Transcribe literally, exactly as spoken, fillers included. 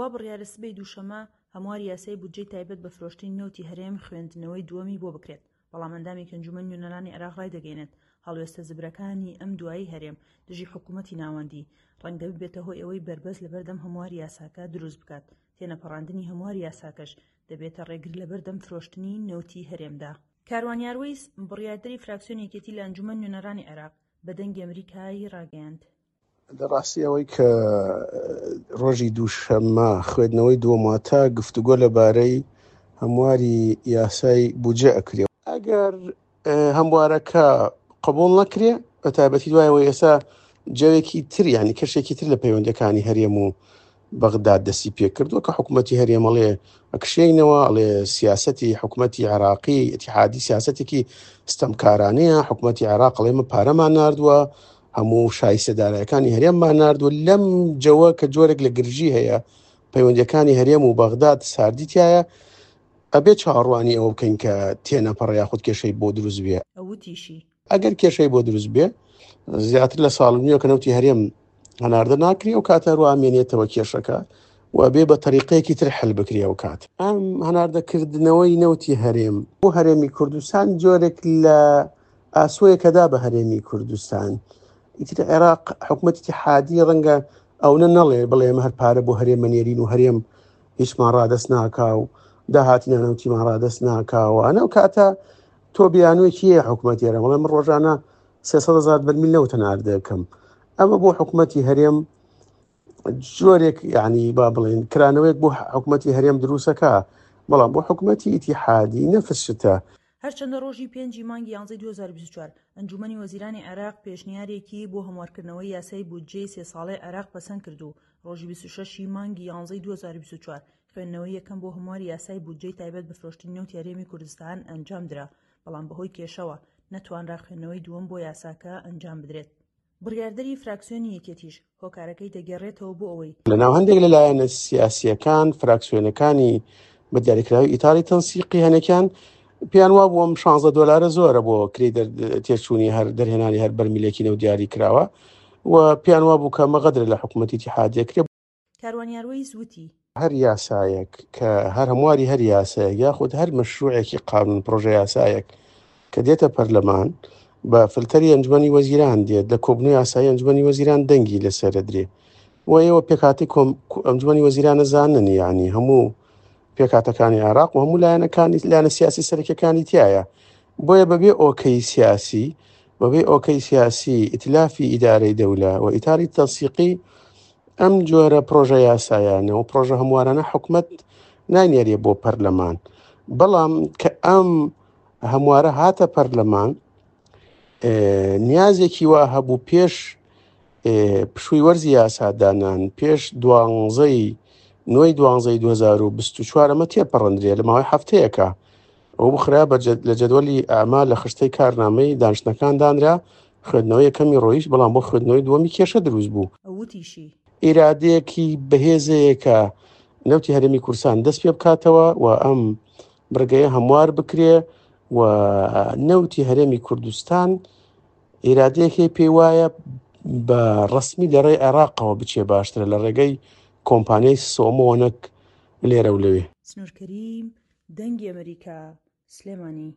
وا بڕیارە سبەی دووشەممە هەمواری یاسای بودجەی تایبەت بە فرۆشتنی نەوتی هەرێم خوێندنەوەی دووەمی بۆ بکرێت، بەڵام ئەندامێکی ئەنجومەنی نوێنەرانی عێراق ڕایدەگەیەنێت، هەڵوێستە زبرەکانی ئەم دوایی هەرێم دژی حکومەتی ناوەندی ڕەنگە ببێتە هۆی ئەوەی بەربەست لەبەردەم هەمواری یاساکە دروست بکات، تێنەپەڕاندنی هەمواری یاساکەش دەبێتە ڕێگر لەبەردەم فرۆشتنی نەوتی هەرێمدا. کاروان یاروەیس، بڕیاردەری فراکسیۆنی یەکێتی لە ئەنجومەنی نوێنەرانی عێراق، بە دەنگی ئەمریکای ڕاگەیاند، لە ڕاستی ئەوەی کە ڕۆژی دووشەممە خوێندنەوەی دووەم واتە گفتوگۆ لەبارەی هەمواری یاسای بودجە ئەکرێ. ئەگەر هەموارەکە قبوڵ نەکرێ بە تایبەتی دوای ئەوەی ئێستا جەوێکی تر یعنی کەشێکی تر لە پەیوەندەکانی هەرێم و بەغداد دەستی پێکردووە کە حکوومەتی هەرێم ئەڵێ ئەکشێینەوە، ئەڵێ سیاسەتی حکوومەتی عێراقی ئیتیحادی سیاسەتێکی ستەمکارانەیە، حکوومەتی عێراق ئەڵێ ئێمە پارەمان ناردووە، هەموو شایستە دارایەکانی هەرێممان ناردووە. لەم جەوە کە جۆرێک لە گرژی هەیە، پەیوەندیەکانی هەرێم و بەغداد ساردی تایە، ئەبێ چاوەڕوانی ئەوە بکەین کە تێنەپەڕ یاخود کێشەی بۆ دروست بێ. وتیشی، ئەگەر کێشەی بۆ دروست بێ زیاتر لە ساڵ نییە کە نەوتی هەرێم هەناردە ناکرێ و کاتە هەروە ئامێنێتەوە کێشەکە و بێ بە تەریقەیەکی تر حل بکرێ. و کات ئەم هەناردەکردنەوەی نەوتی هەرێم بۆ هەرێمی کوردستان جۆرێک لە ئاسۆیەکەدا بە هەرێمی کوردستان. ئیتر عێراق حکوومەتی ئیتیحادی ڕەنگە ئەونە نەڵێ بڵێ ئێمە هەر پارە بۆ هەرێمە نێرین و هەرێم هیچمان ڕادەست ناکا و داهاتی نانەوتیمان ڕادەست ناکاوە. ئەنە ئەو کاتە تۆ بیانوویەکی هەیە حکوومەتی هەرێم بڵێ من ڕۆژانە سێ سەد هەزار بەرمیل نەوت هەناردەکەم. ئەمە بۆ حکوومەتی هەرێم جۆرێک یعنی با بڵێن کرانەوەیەک بۆ حکوومەتی هەرێم دروستەکە، بەڵام بۆ حکوومەتی ئیتیحادی نەفس شتە. هەرچەندە ڕۆژی پێنجی مانگی یانزەی دوو هەزار و بیست و چوار ئەنجومەنی وەزیرانی عێراق پێشنیارێکی بۆ هەموارکردنەوەی یاسای بودجەی سێ ساڵەی عێراق پەسەند کرد و ڕۆژی بیست و شەش ی مانگی یانزەی دوو هەزار و بیست و چوار خوێندنەوەی یەکەم بۆ هەمواری یاسای بودجەی تایبەت بە فرۆشتنی نەوتی هەرێمی کوردستان ئەنجامدرا، بەڵام بەهۆی کێشەوە نەتوانرا خوێندنەوەی دووەم بۆ یاساکە ئەنجام بدرێت. بڕیاردەری فراکسیۆنی یەکێتیش هۆکارەکەی دەگێڕێتەوە بۆ ئەوەی لەناو هەندێک لە لایەنە سیاسییەکان فراکسیۆنەکانی بە دیاریکراوی ئیتاڵی تەنسیقی هەنێکیان پێیان وا بوو ئەم شانزە دۆلارە زۆرە بۆ کرێی تێچوونی هەر دەرهێنانی هەر بەرمیلێکی نەوت دیاری کراوە و پێیان وا بوو کە ئەمە غەدرە لە حکوومەتی ئیتیحادیە کرێ. کاروان یاروەیس وتی، هەر یاسایەک کە هەر هەمواری هەر یاسایەک یاخود هەر مەشروعێکی قانون پرۆژە یاسایەک کە دێتە پەرلەمان بە فلتەری ئەنجومەنی وەزیران دێت، لە کۆبنەوەی یاسایی ئەنجومەنی وەزیران دەنگی لەسەر درێ و ئێوە پێکهاتەی ئەنجومەنی وەزیرانە زانن، یعنی هەموو پێکهاتەکانی عێراق و هەموو لایەنەکانی لایەنە سیاسی سەرەکیەکانی تایە. بۆیە بەبێ ئۆکەی سیاسی، بەبێ ئۆکەی سیاسی ئیتلافی ئیدارەی دەولە و ئیتاری تەنسیقی ئەم جۆرە پرۆژە یاسایانە و پرۆژە هەموارانە حکومەت نانێرێ بۆ پەرلەمان. بەڵام کە ئەم هەموارە هاتە پەرلەمان نیازێکی وا هەبوو پێش پشووی وەرزی یاسادانان پێش دوانزەی نۆی دوانزەی دوو هەزار و بیست و چوار ئەمە تێپەڕندرێ لە ماوەی هەفتەیەکە ئەو بخرا لە جەدوەلی ئەعمال لە خشتەی کارنامەی دانیشتنەکان دانرا، خوێندنەوەی یەکەمی ڕۆیشت، بەڵام بۆ خوێندنەوەی دووەمی کێشە دروست بوو. وتیشی، ئیرادەیەکی بەهێزەیە کە نەوتی هەرێمی کوردستان دەست پێ بکاتەوە و ئەم بڕگەیە هەموار بکرێ و نەوتی هەرێمی کوردستان ئیرادەیەکی پێی وایە بە ڕسمی لە ڕێی عێراقەوە بچێ باشترە لە ڕێگەی کۆمپانیای سۆمۆ نەک لێرە و لەوێ. سنوور کەریم، دەنگی ئەمەریکا، سلێمانی.